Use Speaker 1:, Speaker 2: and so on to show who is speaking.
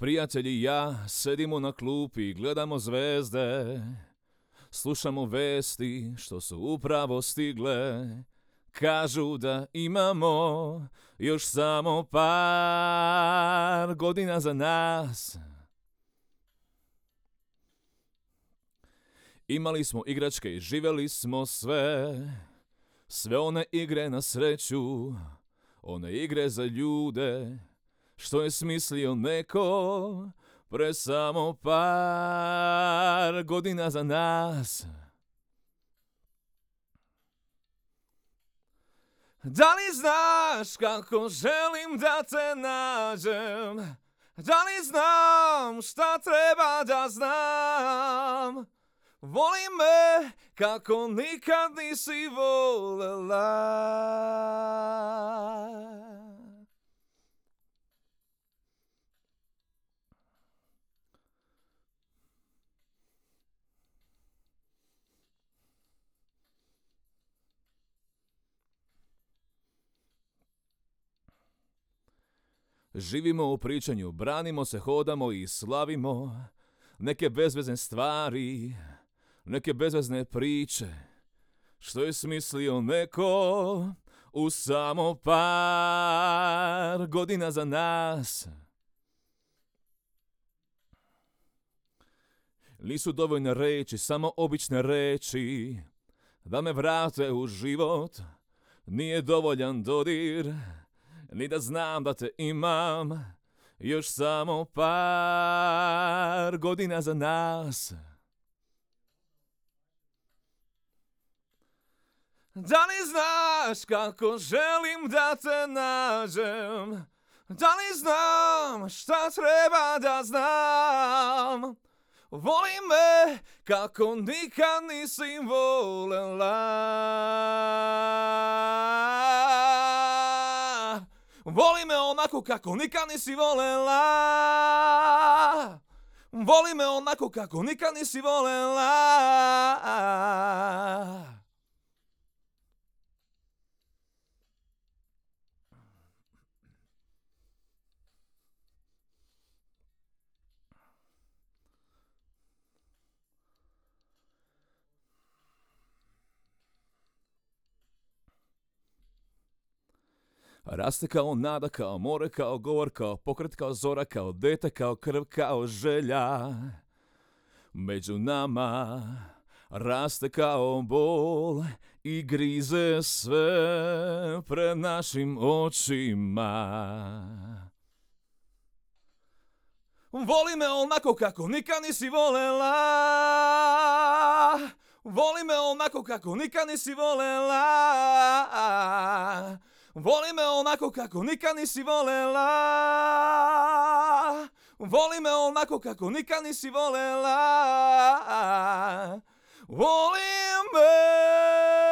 Speaker 1: Prijatelji i ja sedimo na klupi i gledamo zvezde. Slušamo vesti što su upravo stigle. Kažu da imamo još samo par godina za nas. Imali smo igračke i živjeli smo sve. Sve one igre na sreću, one igre za ljude, što je smislio neko pre samo par godina za nas. Da li znaš kako želim da te nađem? Da li znam šta treba da znam? Voli me kako nikad nisi volela. Živimo u pričanju, branimo se, hodamo i slavimo neke bezvezne stvari, neke bezvezne priče, što je smislio neko u samo par godina za nas. Nisu dovoljne reči, samo obične reči, da me vrate u život. Nije dovoljan dodir, ni da znam da te imam još samo par godina za nas. Da li znaš kako želim da te nađem? Da li znam šta treba da znam? Voli me kako nikad nisi volela. Voli me onako kako nikad nisi volela. Voli me onako kako nikad nisi volela. Raste kao nada, kao more, kao govor, kao pokret, kao zora, kao dete, kao krv, kao želja. Među nama raste kao bol i grize sve pred našim očima. Voli me onako kako nikad nisi volela. Voli me onako kako nikad nisi volela. Voli me onako kako nikad nisi volela. Voli me onako kako nikad nisi volela. Voli me.